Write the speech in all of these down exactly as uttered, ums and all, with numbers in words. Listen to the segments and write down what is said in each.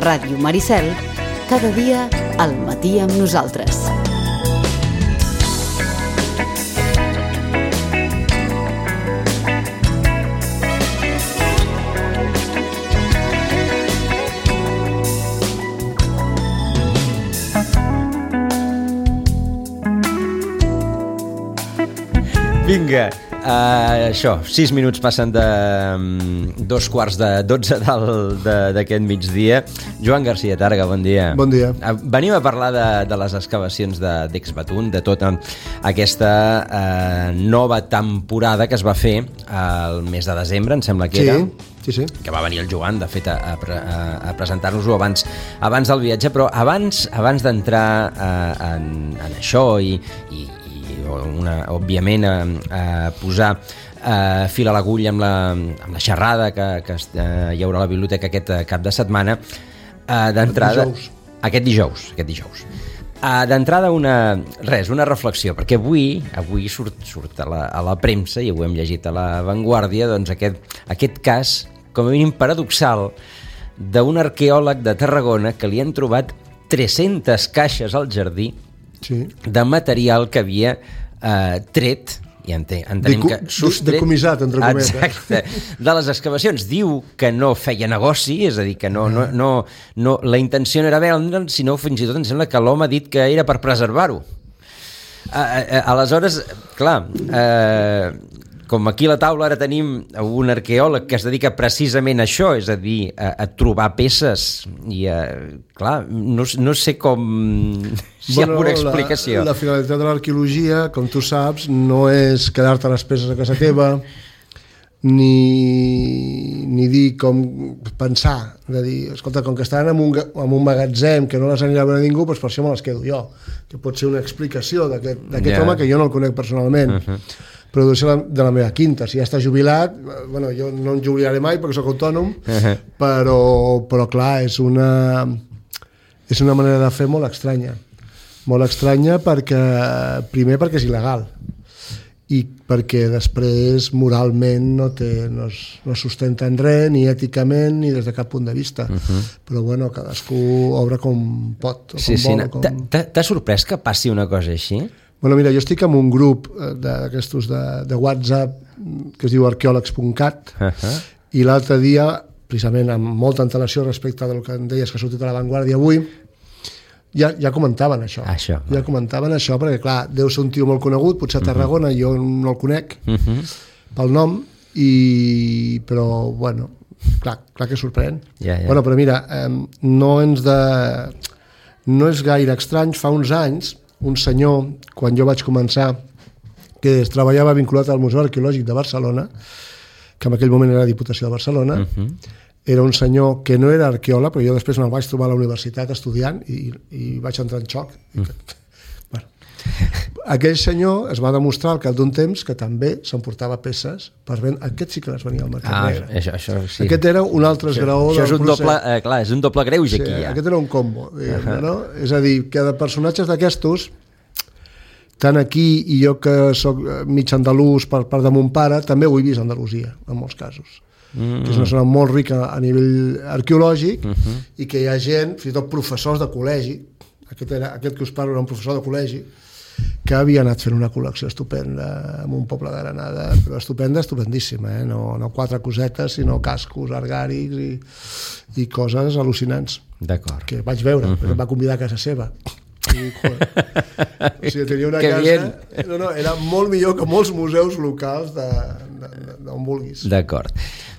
Ràdio Maricel, cada dia al matí amb nosaltres. Vinga, uh, això, sis minuts passen de um, dos quarts de dotze d'aquest migdia. Joan Garcia Targa, bon dia. Bon dia. Uh, venim a parlar de, de les excavacions d'Exbatún, de, de tota aquesta uh, nova temporada que es va fer al mes de desembre, em sembla que sí, era. Sí, sí. Que va venir el Joan, de fet, a, a, a presentar-nos-ho abans, abans del viatge, però abans, abans d'entrar uh, en, en això i, i Una, òbviament a, a posar a fil a l'agulla amb, la, amb la xerrada que, que uh, hi haurà a la biblioteca aquest cap de setmana, uh, d'entrada dijous. aquest dijous, aquest dijous. Uh, d'entrada una, res, una reflexió, perquè avui avui surt, surt a, la, a la premsa, i ho hem llegit a La Vanguardia, doncs aquest, aquest cas, com a mínim paradoxal, d'un arqueòleg de Tarragona que li han trobat tres-centes caixes al jardí sí. de material que havia eh, tret, i entenem Decu que sostret... Decomissat, entre cometes. Exacte, de les excavacions. Diu que no feia negoci, és a dir, que no, no, no, no, la intenció no era vendre, sinó fins i tot em sembla que l'home ha dit que era per preservar-ho. Aleshores, clar, eh, com aquí a la taula ara tenim un arqueòleg que es dedica precisament a això, és a dir, a, a trobar peces, i a, clar, no, no sé com... si bueno, hi ha alguna explicació. La, la finalitat de l'arqueologia, com tu saps, no és quedar-te les peces a casa teva, ni, ni dir com pensar, de dir, escolta, com que estan en un, en un magatzem que no les anirà a veure ningú, doncs per això me les quedo jo, que pot ser una explicació d'aquest yeah. home que jo no el conec personalment. Uh-huh. Però deu ser de la meva quinta. Si ja està jubilat, bueno, jo no em jubilaré mai perquè soc autònom, uh-huh. però, però clar, és una, és una manera de fer molt estranya. Molt estranya perquè, primer perquè és il·legal, i perquè després moralment no, té, no, es, no sustenta en res, ni èticament, ni des de cap punt de vista. Uh-huh. Però bueno, cadascú obre com pot. O sí, com sí, vol, no. com... T'ha sorprès que passi una cosa així? Bueno, mira, jo estic en un grup d'aquestos de, de WhatsApp que es diu arqueòlegs punt cat uh-huh. i l'altre dia, precisament amb molta antelació respecte del que em deies que ha sortit a La Vanguardia avui, ja, ja comentaven això. això ja va. comentaven això, perquè clar, deu ser un tio molt conegut, potser a Tarragona, uh-huh. jo no el conec uh-huh. pel nom, i... però bueno, clar, clar que sorprèn. Yeah, yeah. Bueno, però mira, eh, no ens de... no és gaire estrany, fa uns anys un senyor, quan jo vaig començar, que es treballava vinculat al Museu Arqueològic de Barcelona, que en aquell moment era Diputació de Barcelona, uh-huh. era un senyor que no era arqueòleg, però jo després me'l vaig trobar a la universitat estudiant i, i vaig entrar en xoc. Uh-huh. Bueno, aquell senyor es va demostrar al cap d'un temps que també s'emportava peces per vendre. Aquest sí que les venia al mercat ah, negre. Això, això, sí. Aquest era un altre esgraó això, això del és un procés. doble, eh, clar, és un doble greuge sí, aquí ja. Aquest era un combo, diguem, uh-huh. no? És a dir, que de personatges d'aquestos, tant aquí i jo que soc mig andalús per part de mon pare, també ho he vist a Andalusia, en molts casos. Mm-hmm. Que és una zona molt rica a nivell arqueològic uh-huh. i que hi ha gent, fins i tot professors de col·legi, aquest, era, aquest que us parlo era un professor de col·legi, que havia anat fent una col·lecció estupenda en un poble de Granada, però estupenda, estupendíssima, eh? no, no quatre cosetes, sinó cascos argàrics i, i coses al·lucinants. D'acord. Que vaig veure, uh-huh. em va convidar a casa seva. I, joder, o sigui, tenia una que casa... bien. No, no, era molt millor que molts museus locals de, de, de, d'on vulguis. D'acord.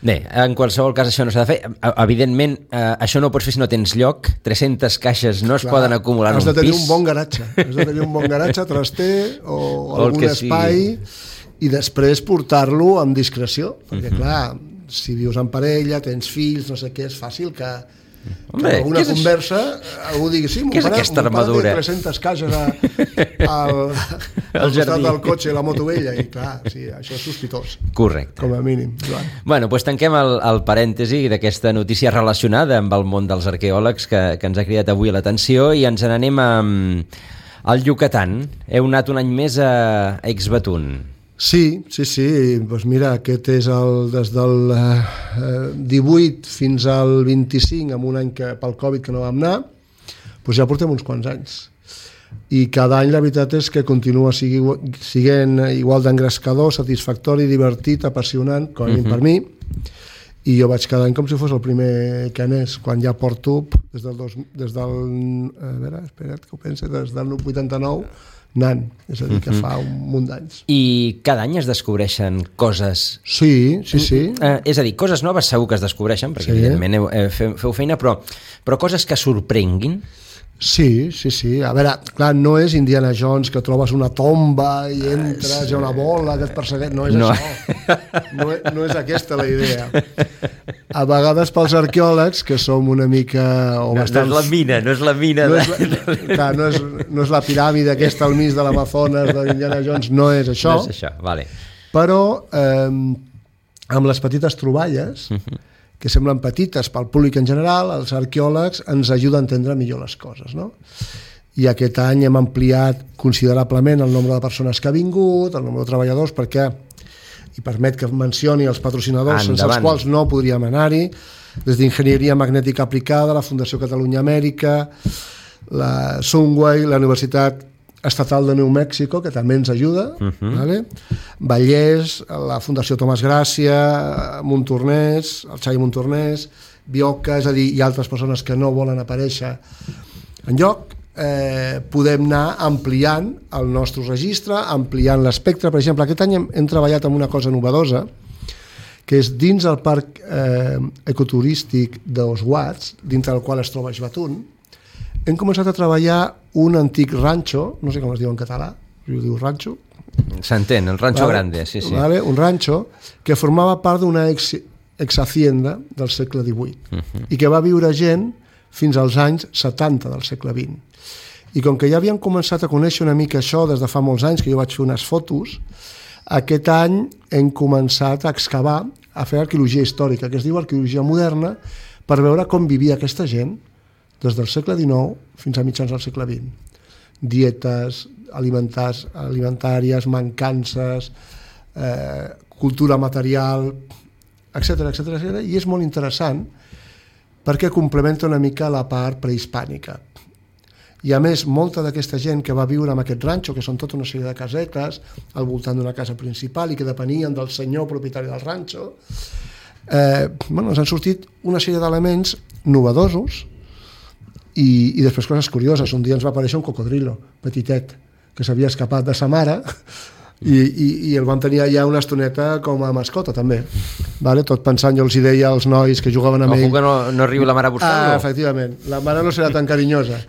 Bé, en qualsevol cas això no s'ha de fer. Evidentment, eh, això no ho pots fer si no tens lloc. tres-centes caixes no es Clar, poden acumular en un pis. Has de tenir un bon garatge. Has de tenir un bon garatge, traster o, o algun espai sigui. I després portar-lo amb discreció. Perquè, uh-huh. clar, si vius en parella, tens fills, no sé què, és fàcil que... Home, que alguna conversa algú digui, sí, mon pare, mon pare té tres-centes caixes a, al, al costat del cotxe i la moto vella, i clar, sí, això és sospitós. Correcte. Com a mínim. Joan. Bueno, doncs tanquem el, el parèntesi d'aquesta notícia relacionada amb el món dels arqueòlegs que, que ens ha cridat avui l'atenció, i ens n'anem a, al Yucatán. Heu anat un any més a Exbatún. Sí, sí, sí. Doncs mira, aquest és el, des del eh, divuit fins al vint-i-cinc, amb un any que, pel Covid que no vam anar, doncs ja portem uns quants anys. I cada any la veritat és que continua sigui, siguent igual d'engrescador, satisfactori, divertit, apassionant, com a mínim uh-huh. per mi, i jo vaig cada any com si fos el primer que anés, quan ja porto des del, dos, des del a veure, espera't que ho pense, des del vuitanta-nou anant, és a dir, que fa un munt d'anys. I cada any es descobreixen coses... Sí, sí, sí. Eh, és a dir, coses noves segur que es descobreixen, perquè sí. evidentment heu, eh, feu, feu feina, però, però coses que sorprenguin? Sí, sí, sí. A veure, clar, no és Indiana Jones que trobes una tomba i entres, hi ha una bola que et persegueix, no és no. això. No, no és aquesta la idea. A vegades pels arqueòlegs, que som una mica... O no, bastants... no és la mina, no és la mina. No de... és la, clar, no és, no és la piràmide aquesta al mig de l'Amazones d'Indiana Jones, no és això. No és això, vale. Però eh, amb les petites troballes... Uh-huh. que semblen petites pel públic en general, els arqueòlegs ens ajuden a entendre millor les coses, no? I aquest any hem ampliat considerablement el nombre de persones que ha vingut, el nombre de treballadors, perquè i permet que mencioni els patrocinadors Endavant. sense els quals no podríem anar-hi, des d'Enginyeria Magnètica Aplicada, la Fundació Catalunya Amèrica, la Sunway, la Universitat Estatal de New Mexico, que també ens ajuda, uh-huh. vale? Vallès, la Fundació Tomàs Gràcia, Montornès, el Xavi Montornès, Bioca, és a dir, hi ha altres persones que no volen aparèixer enlloc. Eh, podem anar ampliant el nostre registre, ampliant l'espectre. Per exemple, aquest any hem, hem treballat amb una cosa novedosa, que és dins el parc eh, ecoturístic d'Oswats, dintre del qual es troba Ixbatún, hem començat a treballar un antic ranxo, no sé com es diu en català, jo diu ranxo. S'entén, el ranxo vale, grande, sí, sí. Vale, un ranxo que formava part d'una ex, ex-hacienda del segle divuit uh-huh. i que va viure gent fins als anys setanta del segle vint. I com que ja havien començat a conèixer una mica això des de fa molts anys, que jo vaig fer unes fotos, aquest any hem començat a excavar, a fer arqueologia històrica, que es diu arqueologia moderna, per veure com vivia aquesta gent des del segle dinou fins a mitjans del segle vint. Dietes alimentàries, mancances, eh, cultura material, etcètera, etcètera, etcètera, i és molt interessant perquè complementa una mica la part prehispànica. I a més, molta d'aquesta gent que va viure en aquest ranxo, que són tota una sèrie de casetes al voltant d'una casa principal i que depenien del senyor propietari del ranxo, eh, bueno, ens han sortit una sèrie d'elements novedosos. I, i després coses curioses. Un dia ens va aparèixer un cocodrilo petitet que s'havia escapat de sa mare i, i, i el vam tenir allà una estoneta com a mascota també, vale? Tot pensant, jo els hi deia als nois que jugaven amb ell que no, no arribi la mare a buscar-lo. Ah, efectivament, la mare no serà tan carinyosa,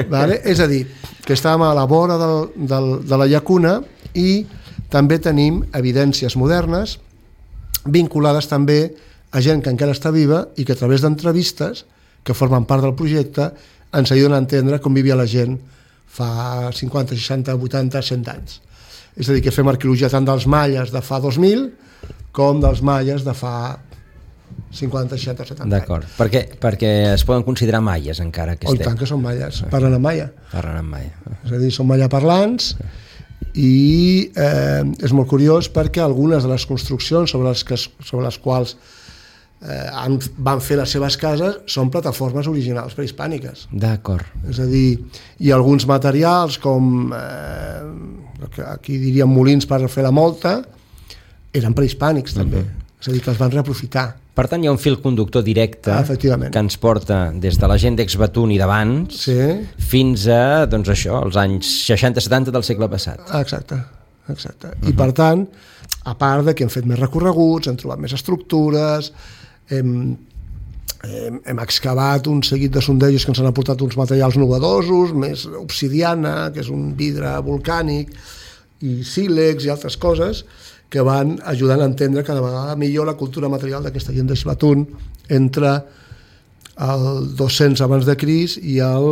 vale? És a dir, que estàvem a la vora del, del, de la llacuna i també tenim evidències modernes vinculades també a gent que encara està viva i que a través d'entrevistes que formen part del projecte, ens ajuden a entendre com vivia la gent fa cinquanta, seixanta, vuitanta, cent anys. És a dir, que fem arqueologia tant dels maies de fa dos mil com dels maies de fa cinquanta, seixanta, setanta anys. D'acord, perquè, perquè es poden considerar maies encara que estem. Oh, tant que són maies, parlen en maia. Parlen en maia. És a dir, són maia parlants i eh, és molt curiós perquè algunes de les construccions sobre les, que, sobre les quals Eh, han, van fer les seves cases són plataformes originals prehispàniques. D'acord. És a dir, hi ha alguns materials com eh, aquí diríem molins per fer la molta, eren prehispànics també. Uh-huh. És a dir, que els van reaprofitar. Per tant, hi ha un fil conductor directe ah, que ens porta des de la gent d'Ixbatún i d'abans sí. fins a, doncs això, els anys seixanta setanta del segle passat. Exacte, exacte. Uh-huh. I per tant, a part de que hem fet més recorreguts, hem trobat més estructures, Hem, hem, hem excavat un seguit de sondejos que ens han aportat uns materials novedosos, més obsidiana, que és un vidre volcànic, i sílex i altres coses que van ajudant a entendre cada vegada millor la cultura material d'aquesta gent d'Ixbatún entre el dos-cents abans de Crist i el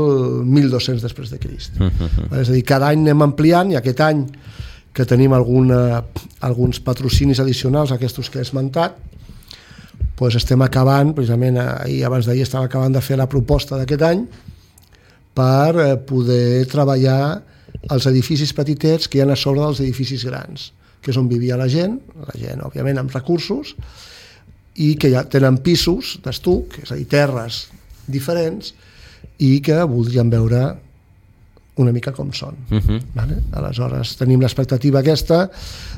mil dos-cents després de Crist. Uh-huh. És a dir, cada any anem ampliant, i aquest any que tenim alguna, alguns patrocinis addicionals, aquests que he esmentat, doncs estem acabant, precisament ahir, abans d'ahir estava acabant de fer la proposta d'aquest any per poder treballar els edificis petitets que hi ha a sobre dels edificis grans, que és on vivia la gent, la gent, òbviament, amb recursos, i que ja tenen pisos d'estuc, és a dir, terres diferents, i que voldrien veure una mica com són. Uh-huh. Vale? Aleshores, tenim l'expectativa aquesta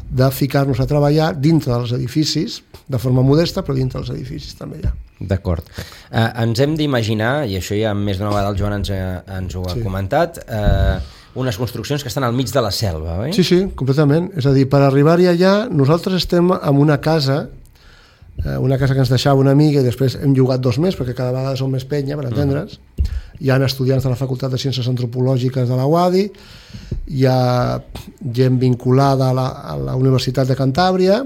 de ficar-nos a treballar dintre dels edificis, de forma modesta, però dintre dels edificis també hi ha. D'acord. Eh, ens hem d'imaginar, i això ja més d'una vegada el Joan ens, ens ho ha sí. comentat, eh, unes construccions que estan al mig de la selva, oi? Sí, sí, completament. És a dir, per arribar-hi allà, nosaltres estem en una casa, eh, una casa que ens deixava una amiga i després hem llogat dos més, perquè cada vegada som més penya, per entendre's. Mm. Hi ha estudiants de la Facultat de Ciències Antropològiques de la U A D I, hi ha gent vinculada a la, a la Universitat de Cantàbria,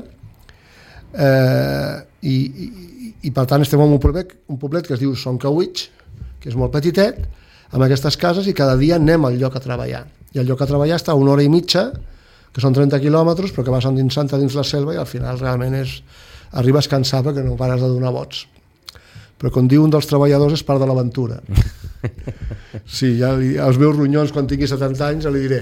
eh, i, i, i per tant estem en un poblet, un poblet que es diu Soncawitx, que és molt petitet, amb aquestes cases, i cada dia anem al lloc a treballar. I el lloc a treballar està a una hora i mitja, que són trenta quilòmetres, però que vas endinsant dins la selva i al final realment és, arribes cansat perquè no pares de donar vots. Però com diu un dels treballadors, és part de l'aventura. Sí, ja li, als meus ronyons quan tingui setanta anys ja li diré.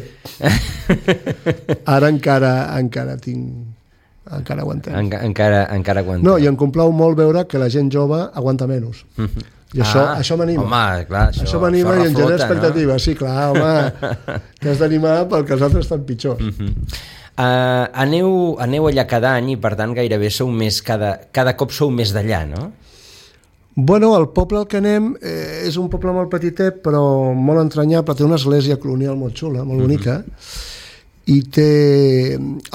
Ara encara encara tinc encara aguantem. En, encara, encara aguantem. No, i em complau molt veure que la gent jove aguanta menys. I això, ah, això m'anima. Home, clar, això, això m'anima i em genera expectativa. No? Sí, clar, home, que has d'animar perquè els altres estan pitjors. Uh-huh. Uh, aneu, aneu allà cada any i per tant gairebé sou més, cada, cada cop sou més d'allà, no? Bueno, el poble al que anem eh, és un poble molt petitet però molt entranyable, té una església colonial molt xula, molt bonica, mm-hmm. i té...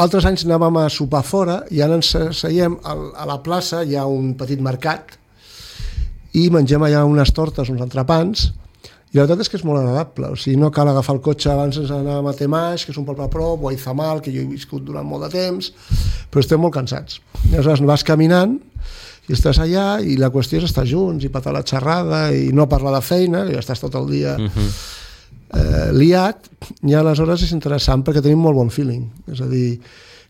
Altres anys anàvem a sopar fora i ara ens seiem a la plaça, hi ha un petit mercat i mengem allà unes tortes, uns entrepans, i la veritat és que és molt agradable, o sigui, no cal agafar el cotxe abans ens anàvem a Temaix, que és un poble a prop, o a Izamal, que jo he viscut durant molt de temps, però estem molt cansats. I aleshores vas caminant i estàs allà i la qüestió és estar junts i patar la xerrada i no parlar de feina, que ja estàs tot el dia uh-huh. eh, liat, i aleshores és interessant perquè tenim molt bon feeling, és a dir,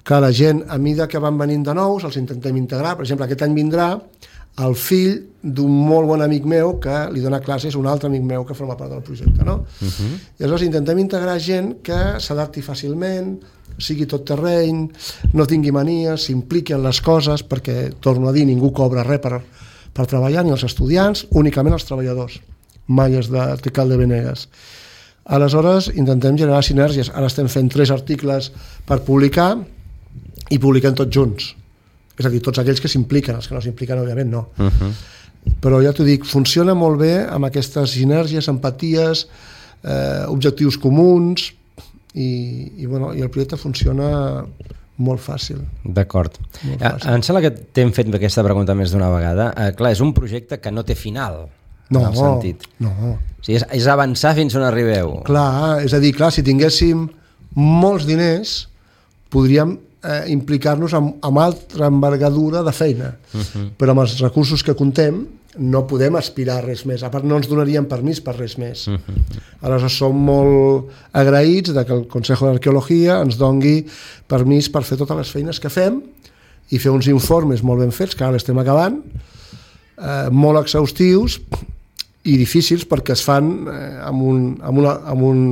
que la gent a mida que van venint de nous els intentem integrar. Per exemple, aquest any vindrà el fill d'un molt bon amic meu que li dona classes, un altre amic meu que forma part del projecte, no? Uh-huh. I aleshores intentem integrar gent que s'adapti fàcilment, sigui tot terreny, no tingui manies, s'impliqui en les coses, perquè, torno a dir, ningú cobra res per, per treballar, ni els estudiants, únicament els treballadors, mai és de Tecal de Venegas. Aleshores, intentem generar sinergies. Ara estem fent tres articles per publicar i publiquem tots junts. És a dir, tots aquells que s'impliquen, els que no s'impliquen, òbviament, no. Uh-huh. Però ja t'ho dic, funciona molt bé amb aquestes sinergies, empaties, eh, objectius comuns, i, i, bueno, i el projecte funciona molt fàcil. D'acord. Em sembla que t'hem fet aquesta pregunta més d'una vegada. Eh, clar, és un projecte que no té final, no, en el sentit. No, o sigui, és, és avançar fins on arribeu. Clar, és a dir, clar, si tinguéssim molts diners, podríem eh, implicar-nos amb, amb altra envergadura de feina. Uh-huh. Però amb els recursos que contem no podem aspirar a res més, a part no ens donarien permís per res més. Uh-huh. Aleshores som molt agraïts de que el Consejo d'Arqueologia ens dongui permís per fer totes les feines que fem i fer uns informes molt ben fets, que ara l'estem acabant, eh, molt exhaustius i difícils perquè es fan eh, amb, un, amb, una, amb un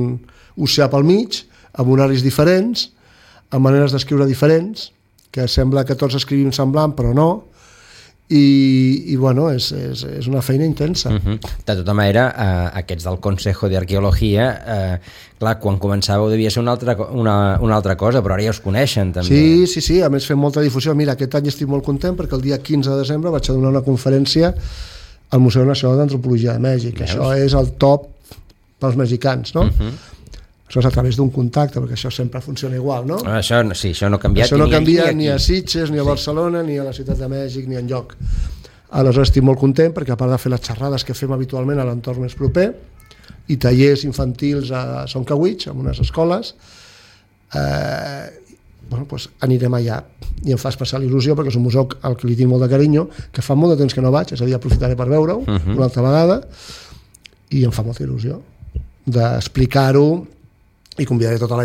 oceà pel mig, amb horaris diferents, amb maneres d'escriure diferents, que sembla que tots escrivim semblant, però no. I, i bueno, és, és, és una feina intensa. Uh-huh. De tota manera, eh, aquests del Consejo d'Arqueologia, eh, clar, quan començàveu devia ser una altra, una, una altra cosa, però ara ja us coneixen també. Sí, sí, sí, a més fem molta difusió. Mira, aquest any estic molt content perquè el dia quinze de desembre vaig a donar una conferència al Museu Nacional d'Antropologia de Mèxic. Veus? Això és el top pels mexicans, no? Uh-huh. Això és a través d'un contacte, perquè això sempre funciona igual, no? Això, sí, això no ha canviat això no ni, canvia ni, ni a Sitges, ni a Barcelona, sí. Ni a la Ciutat de Mèxic, ni enlloc. Aleshores estic molt content perquè a part de fer les xerrades que fem habitualment a l'entorn més proper i tallers infantils a Soncawitx, en unes escoles, eh, bueno, doncs anirem allà i em fa especial il·lusió perquè és un museu al que li tinc molt de carinyo, que fa molt de temps que no vaig, és a dir, aprofitaré per veure-ho uh-huh. una altra vegada i em fa molta il·lusió d'explicar-ho i convidaré tota la,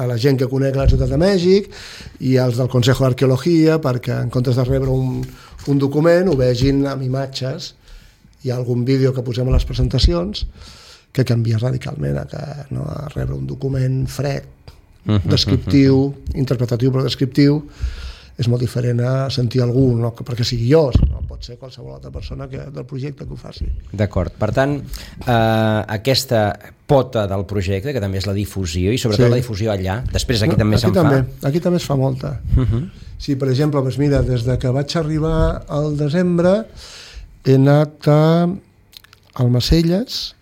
a la gent que conec la Ciutat de Mèxic i els del Consejo d'Arqueologia perquè en comptes de rebre un, un document ho vegin amb imatges i algun vídeo que posem a les presentacions que canvia radicalment a, que, no, a rebre un document fred descriptiu, interpretatiu però descriptiu, és molt diferent a sentir algú, no perquè sigui jo, sinó pot ser qualsevol altra persona que, del projecte que ho faci. D'acord. Per tant, eh, aquesta pota del projecte, que també és la difusió, i sobretot sí. la difusió allà, després aquí no, també aquí se'n també, fa. Aquí també es fa molta. Uh-huh. Sí, per exemple, doncs mira, des de que vaig arribar al desembre he anat a Almacelles,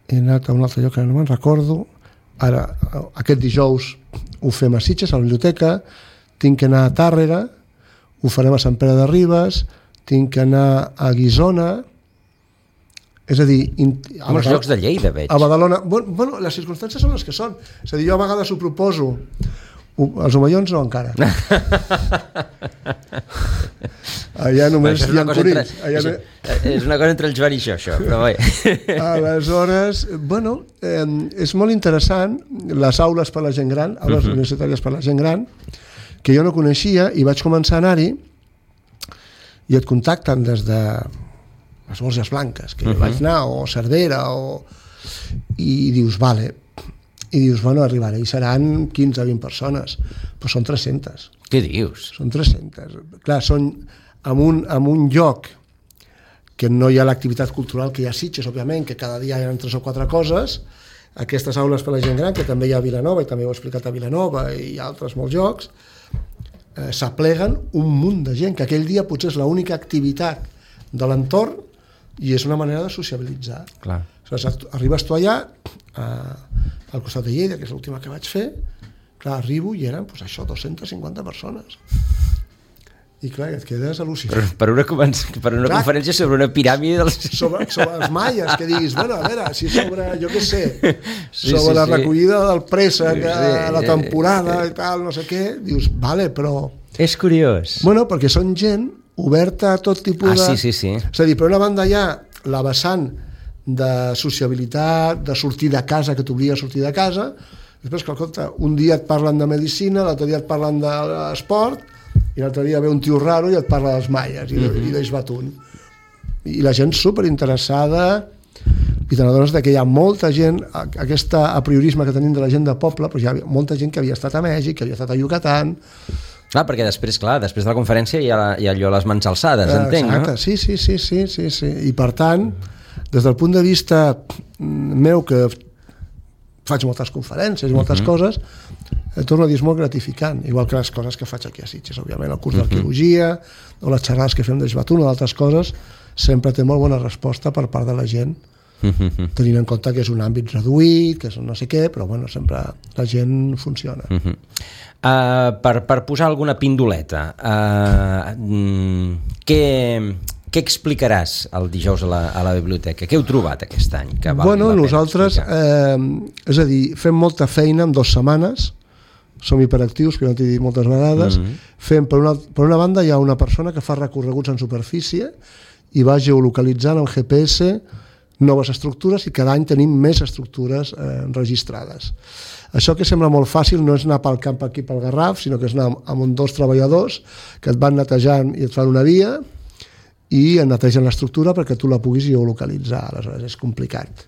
he anat a un altre lloc que no me'n recordo, ara, aquest dijous ho fem a Sitges, a la biblioteca, tinc que anar a Tàrrega, ho farem a Sant Pere de Ribes, tinc que anar a Guissona, és a dir... A molts llocs de Lleida, veig. A Badalona. Bueno, bueno, les circumstàncies són les que són. És a dir, jo a vegades ho proposo. Els Omellons no, encara. Allà només hi ha curins. Allà... És, és una cosa entre el Joan i això, això, però bé. Aleshores, bueno, eh, és molt interessant les aules per a la gent gran, aules uh-huh. universitàries per a la gent gran, que jo no coneixia i vaig començar a anar-hi i et contacten des de les Borges Blanques, que uh-huh. vaig anar, o Cervera, o... i dius, vale, i dius, bueno, arribaré, i seran quinze o vint persones, però són tres-centes. Què dius? Són tres-centes. Clar, són en un, en un lloc que no hi ha l'activitat cultural que hi ha a Sitges, òbviament, que cada dia hi ha tres o quatre coses, aquestes aules per a la gent gran, que també hi ha a Vilanova, i també ho he explicat a Vilanova, i altres molts llocs, eh, s'apleguen un munt de gent, que aquell dia potser és l'única activitat de l'entorn i és una manera de sociabilitzar. Clar. Aleshores, arribes tu allà, eh, al costat de Lleida, que és l'última que vaig fer, clar, arribo i eren, doncs això, dos-centes cinquanta persones. I clar, et quedes al·lucinat. Per, per una, per una clar, conferència sobre una piràmide dels... sobre, sobre els maies, que diguis, bueno, a veure, si sobre, jo què sé, sí, sobre sí, la recollida sí. del préssec, sí, sí, la temporada sí, sí. i tal, no sé què, dius, vale, però... És curiós. Bueno, perquè són gent oberta a tot tipus ah, de... Sí, sí, sí. És a dir, per una banda hi ha la vessant de sociabilitat, de sortir de casa, que t'obliga a sortir de casa, després, que escolta, un dia et parlen de medicina, l'altre dia et parlen d'esport, i l'altre dia ve un tio raro i et parla dels maies i, mm-hmm. i d'Eix Batun, i la gent superinteressada, i te n'adones que hi ha molta gent, aquest apriorisme que tenim de la gent de poble, però hi ha molta gent que havia estat a Mèxic, que havia estat a Yucatán. Clar, perquè després, clar, després de la conferència hi ha, hi ha allò les mans alçades, entenc, exacte, no? Sí, sí, sí, sí, sí, sí, i per tant, des del punt de vista meu, que faig moltes conferències i moltes uh-huh. coses, eh, torno a dir, és molt gratificant, igual que les coses que faig aquí a Sitges, òbviament, el curs uh-huh. d'arqueologia, o les xerrades que fem d'Eix Batun, o d'altres coses, sempre té molt bona resposta per part de la gent, uh-huh. tenint en compte que és un àmbit reduït, que és no sé què, però bueno, sempre la gent funciona. Uh-huh. Uh, per, per posar alguna pindoleta, uh, mm, què... Què explicaràs el dijous a la, a la biblioteca? Què heu trobat aquest any? Que val bueno, nosaltres, eh, és a dir, fem molta feina en dues setmanes, som hiperactius, que no t'he dit moltes vegades, mm-hmm. fem, per una, per una banda hi ha una persona que fa recorreguts en superfície i va geolocalitzant amb G P S noves estructures i cada any tenim més estructures eh, registrades. Això que sembla molt fàcil no és anar pel camp aquí pel Garraf, sinó que és anar amb un dos treballadors que et van netejant i et fan una via i en netegen l'estructura perquè tu la puguis geolocalitzar, aleshores és complicat.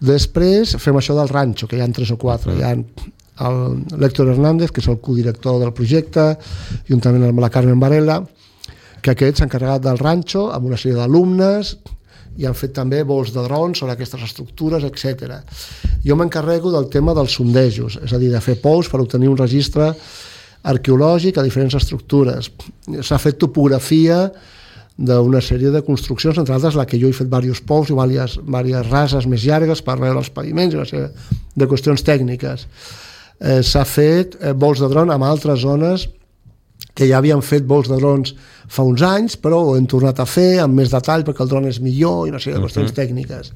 Després fem això del ranxo, que hi ha tres o quatre, hi ha l'Héctor Hernández, que és el codirector del projecte, juntament amb la Carmen Varela, que aquest s'ha encarregat del ranxo amb una sèrie d'alumnes i han fet també vols de drons sobre aquestes estructures, etcètera. Jo m'encarrego del tema dels sondejos, és a dir, de fer pous per obtenir un registre arqueològic a diferents estructures. S'ha fet topografia d'una sèrie de construccions, entre altres la que jo he fet diversos pous i diverses, diverses rases més llargues per veure els paviments i una sèrie de qüestions tècniques. Eh, s'ha fet eh, vols de dron amb altres zones que ja havien fet vols de drons fa uns anys, però ho hem tornat a fer amb més detall perquè el dron és millor i una sèrie de qüestions uh-huh. tècniques.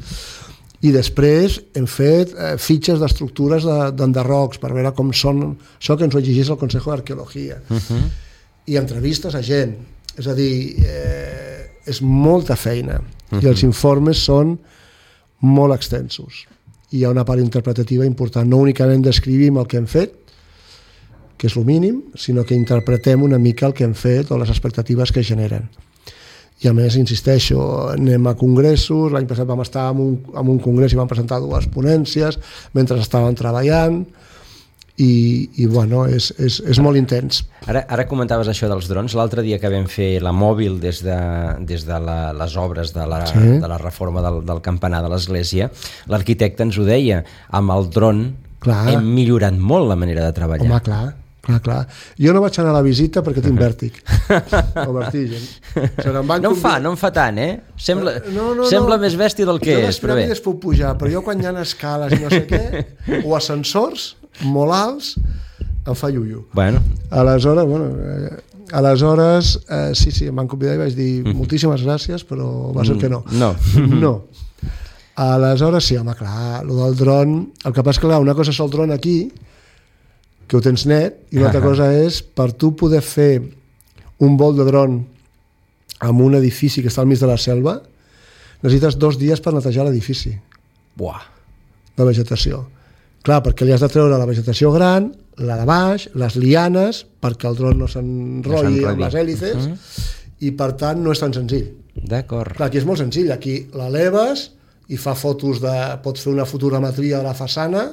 I després hem fet eh, fitxes d'estructures d'enderrocs per veure com són això que ens ho exigís el Consejo d'Arqueologia. Uh-huh. I entrevistes a gent. És a dir, eh, és molta feina uh-huh. i els informes són molt extensos. I hi ha una part interpretativa important. No únicament descrivim el que hem fet, que és el mínim, sinó que interpretem una mica el que hem fet o les expectatives que generen. I a més, insisteixo, anem a congressos, l'any passat vam estar en un, en un congrés i vam presentar dues ponències mentre estaven treballant i, i bueno, és, és, és molt intens. Ara, ara comentaves això dels drons. L'altre dia que vam fer la mòbil des de, des de la, les obres de la, sí. de la reforma del, del campanar de l'església, l'arquitecte ens ho deia, amb el dron clar. Hem millorat molt la manera de treballar. Home, clar. Clar, clar. Jo no vaig anar a la visita perquè tinc vèrtic o vertigen. Se no em fa, no em fa tant, eh? Sembla, no, no, sembla no. més bèstia del que jo és, però bé. Jo les puc pujar, però jo quan hi ha escales i no sé què, o ascensors molt alts, em fa iuiu. Bueno. Aleshores, bueno, eh, aleshores eh, sí, sí, em van convidar i vaig dir moltíssimes gràcies, però va ser que no. No. No. Aleshores, sí, home, clar, el del dron, el que passa que, clar, una cosa és el dron aquí, que ho tens net, i una altra cosa és per tu poder fer un vol de dron en un edifici que està al mig de la selva, necessites dos dies per netejar l'edifici. Buah. De vegetació. Clar, perquè li has de treure la vegetació gran, la de baix, les lianes, perquè el dron no s'enrotlli amb les hèlices, uh -huh. i per tant no és tan senzill. D'acord. Clar, aquí és molt senzill, aquí l'eleves i fa fotos de... pots fer una fotogrametria de la façana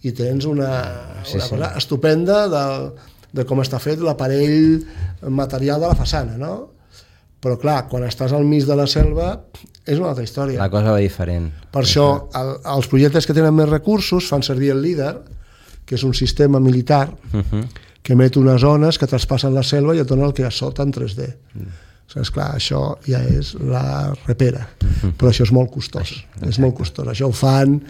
i tens una, sí, una sí. cosa estupenda de, de com està fet l'aparell material de la façana, no? Però clar, quan estàs al mig de la selva és una altra història. La cosa va diferent. Per això, el, els projectes que tenen més recursos fan servir el LIDAR, que és un sistema militar uh-huh. que emet unes ones que traspassen la selva i et dona el que hi ha sota en tres D. Uh-huh. O sigui, esclar, això ja és la repera, uh-huh. però això és molt costós. Uh-huh. És molt costós. Això ho fan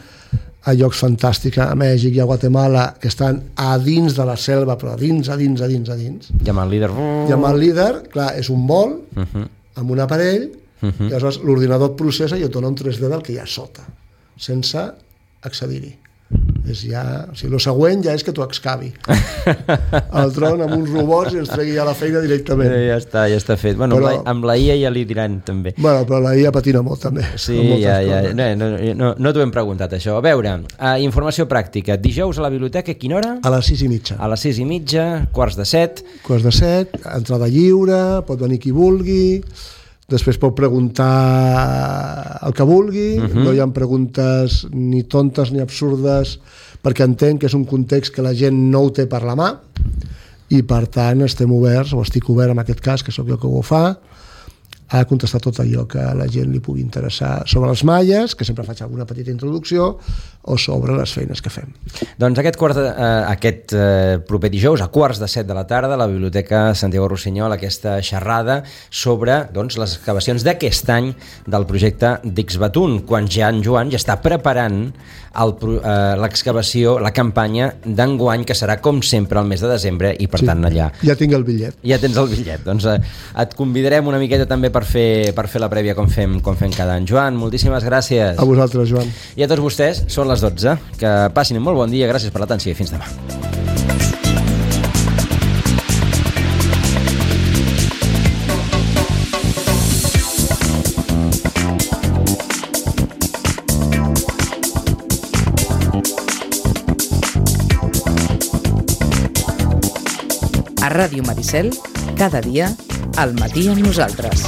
a llocs fantàstics, a Mèxic i a Guatemala, que estan a dins de la selva, però a dins, a dins, a dins, a dins. I amb el líder... I amb el líder, clar, és un vol, uh-huh. amb un aparell, uh-huh. i aleshores l'ordinador et processa i et dona un tres D del que hi ha sota, sense accedir-hi. És ja, o sigui, el següent ja és que t'ho excavi el dron amb uns robots i ens tregui ja la feina directament. Ja està, ja està fet. Bueno, però, amb la I A ja li diran també. Bueno, però la I A patina molt també. Sí, ja, ja. No, no, no, no t'ho hem preguntat això. A veure, uh, informació pràctica. Dijous a la biblioteca, a quina hora? A les sis i mitja. A les sis i mitja, quarts de set. Quarts de set, entrada lliure, pot venir qui vulgui. Després pot preguntar el que vulgui, uh-huh. no hi ha preguntes ni tontes ni absurdes, perquè entenc que és un context que la gent no ho té per la mà, i per tant estem oberts, o estic obert en aquest cas, que sóc jo que ho fa, a contestar tot allò que a la gent li pugui interessar sobre els maies, que sempre faig alguna petita introducció, o sobre les feines que fem. Doncs aquest, quart de, eh, aquest eh, proper dijous, a quarts de set de la tarda, a la Biblioteca Santiago Rossinyol, aquesta xerrada sobre doncs, les excavacions d'aquest any del projecte d'Ixbatún, quan ja en Joan ja està preparant eh, l'excavació, la campanya d'enguany, que serà com sempre el mes de desembre, i per sí, tant allà... Ja tinc el bitllet. Ja tens el bitllet. Doncs eh, et convidarem una miqueta també per fer, per fer la prèvia com fem, com fem cada any. Joan, moltíssimes gràcies. A vosaltres, Joan. I a tots vostès, són les dotze. Que passin un molt bon dia, gràcies per l'atenció i fins demà. A Ràdio Maricel, cada dia, al matí amb nosaltres.